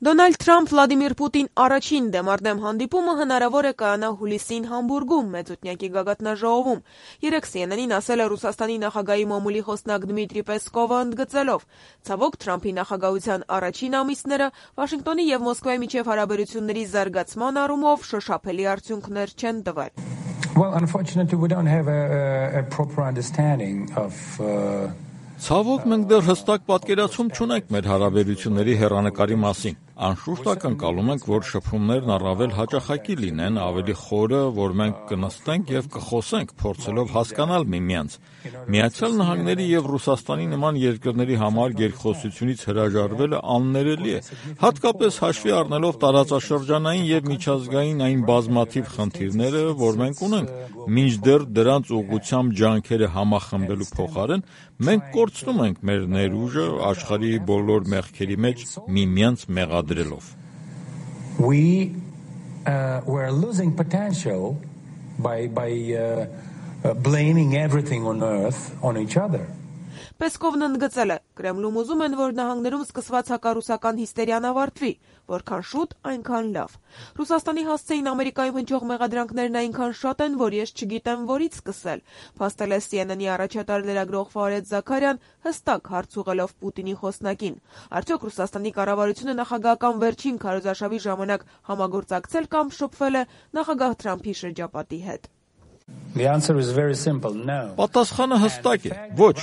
Դոնալդ Թրամփ Վլադիմիր Պուտին առաջին դեմարդեմ հանդիպումը հնարավոր է կայանա հուլիսին Համբուրգում մեծօդյակի գագաթնաժողովում։ Երեկ CNN-ին ասել է Ռուսաստանի նախագահի մամուլի խոսնակ Դմիտրի Պեսկովը ընդգծելով. ցավոք Թրամփի նախագահության առաջին ամիսները Վաշինգտոնի եւ Մոսկվայի միջև հարաբերությունների զարգացման առումով շոշափելի արդյունքներ չեն տվել։ Well, unfortunately, we don't have a proper understanding of Ցավոք մենք դեռ հստակ պատկերացում չունենք մեր հարաբերությունների հեռանկարի մասին։ Անշուշտ ակնկալում ենք, որ շփումներն առավել հաճախակի լինեն, ավելի խորը, որ մենք կնստենք եւ կխոսենք, փորձելով հասկանալ միմյանց։ Միացյալ Նահանգների եւ Ռուսաստանի նման երկրների համար երկխոսությունից հրաժարվելը աններելի է, հատկապես հաշվի առնելով տարածաշրջանային եւ միջազգային այն բազմաթիվ խնդիրները, որ մենք ունենք, մինչդեռ դրանց ուղղությամբ ջանքերը համախմբելու փոխարեն մենք կորցնում ենք մեր ներուժը աշխարհի բոլոր մեղքերի մեջ միմյանց մեղադրելով։ We're losing potential by blaming everything on earth on each other. Պեսկովն ընդգծել է. Կրեմլում ուզում են, որ նահանգներում սկսված հակառուսական հիստերիան ավարտվի, որքան շուտ, այնքան լավ։ Ռուսաստանի հասցեին Ամերիկայում հնչող մեղադրանքներն այնքան շատ են, որ ես չգիտեմ որից սկսել, փաստել է CNN-ի առաջատար լրագրող Ֆարեդ Զաքարյան, հստակ հարց ուղղելով Պուտինի խոսնակին։ Արդյոք Ռուսաստանի կառավարությունը նախագահական վերջին քարոզարշավի ժամանակ համագործակցել կամ շփվել է նախագահ Թրամփի շրջապատի հետ։ The answer is very simple. No. Պատասխանը հստակ է. ոչ,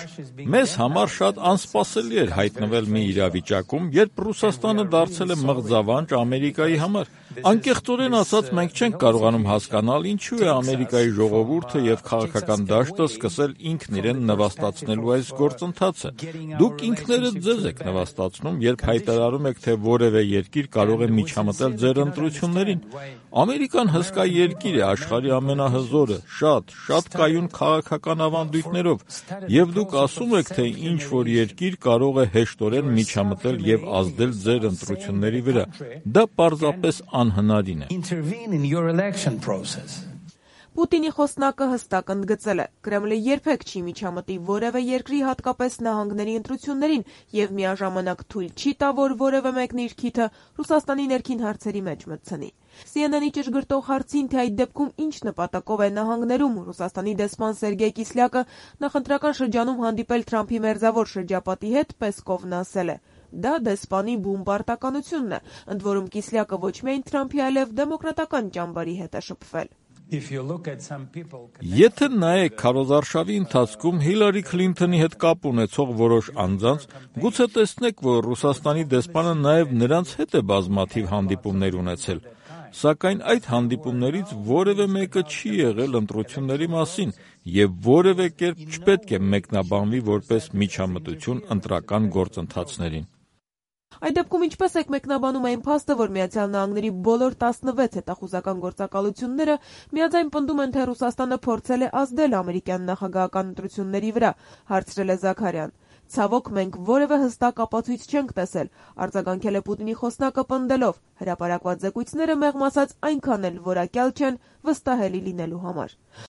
մեզ համար շատ անսպասելի էր հայտնվել մի իրավիճակում, երբ Ռուսաստանը դարձել է մղձավանջ Ամերիկայի համար։ Անկեղծորեն ասած, մենք չենք կարողանում հասկանալ ինչու է Ամերիկայի ժողովուրդը եւ քաղաքական դաշտը սկսել ինքն իրեն նվաստացնելու այս գործընթացը։ Դուք ինքներդ ձեզ եք նվաստացնում, երբ հայտարարում եք, թե որևէ երկիր կարող է միջամտել ձեր ընտրություններին։ Ամերիկան հսկա երկիր է, աշխարհի ամենահզորը, շատ կայուն քաղաքական ավանդույթներով, եւ դուք ասում եք, թե ինչ որ երկիր կարող է հեշտորեն միջամտել եւ ազդել ձեր ընտրությունների վրա։ Դա պարզապես անհնարին է։ Պուտինի խոսնակը հստակ ընդգծել է. Կրեմլը երբեք չի միջամտի որևէ երկրի, հատկապես նահանգների ընտրություններին եւ միաժամանակ թույլ չի տա, որ որևէ մեկն իր քիթը Ռուսաստանի ներքին հարցերի մեջ մտցնի։ CNN-ի ճշգրտող հարցին, թե այդ դեպքում ինչ նպատակով է նահանգներում Ռուսաստանի դեսպան Սերգեյ Կիսլյակը նախընտրական շրջանում հանդիպել Թրամփի մերձավոր շրջապատի հետ, Պեսկովն ասել է. Դա դեսպանի բուն պարտականությունն է, ընդ որում Կիսլյակը ոչ միայն Թրամփի, այլև դեմոկրատական ճամբարի հետ է շփվել։ Եթե նայեք քարոզարշավի ընթացքում Հիլարի Քլինթոնի հետ կապ ունեցող որոշ անձանց, գուցե տեսնեք, որ Ռուսաստանի դեսպանը նաև նրանց հետ է բազմաթիվ հանդիպումներ ունեցել, սակայն այդ հանդիպումներից որևէ մեկը չի եղել ընտրությունների մասին եւ որևէ կերպ չպետք է մեկնաբանվի որպես միջամտություն ընտրական գործընթացներին։ Այդ դեպքում ինչպես եք մեկնաբանում այն փաստը, որ Միացյալ Նահանգների բոլոր 16 հետախուզական գործակալությունները միաձայն պնդում են, թե Ռուսաստանը փորձել է ազդել ամերիկյան նախագահական ընտրությունների վրա, հարցրել է Զաքարյան։ Ցավոք մենք որևէ հստակ ապացույց չենք տեսել, արձագանքել է Պուտինի խոսնակը պնդելով. հրապարակված զեկույցները մեղմ ասած այնքան էլ որակյալ չեն վստահելի լինելու համար։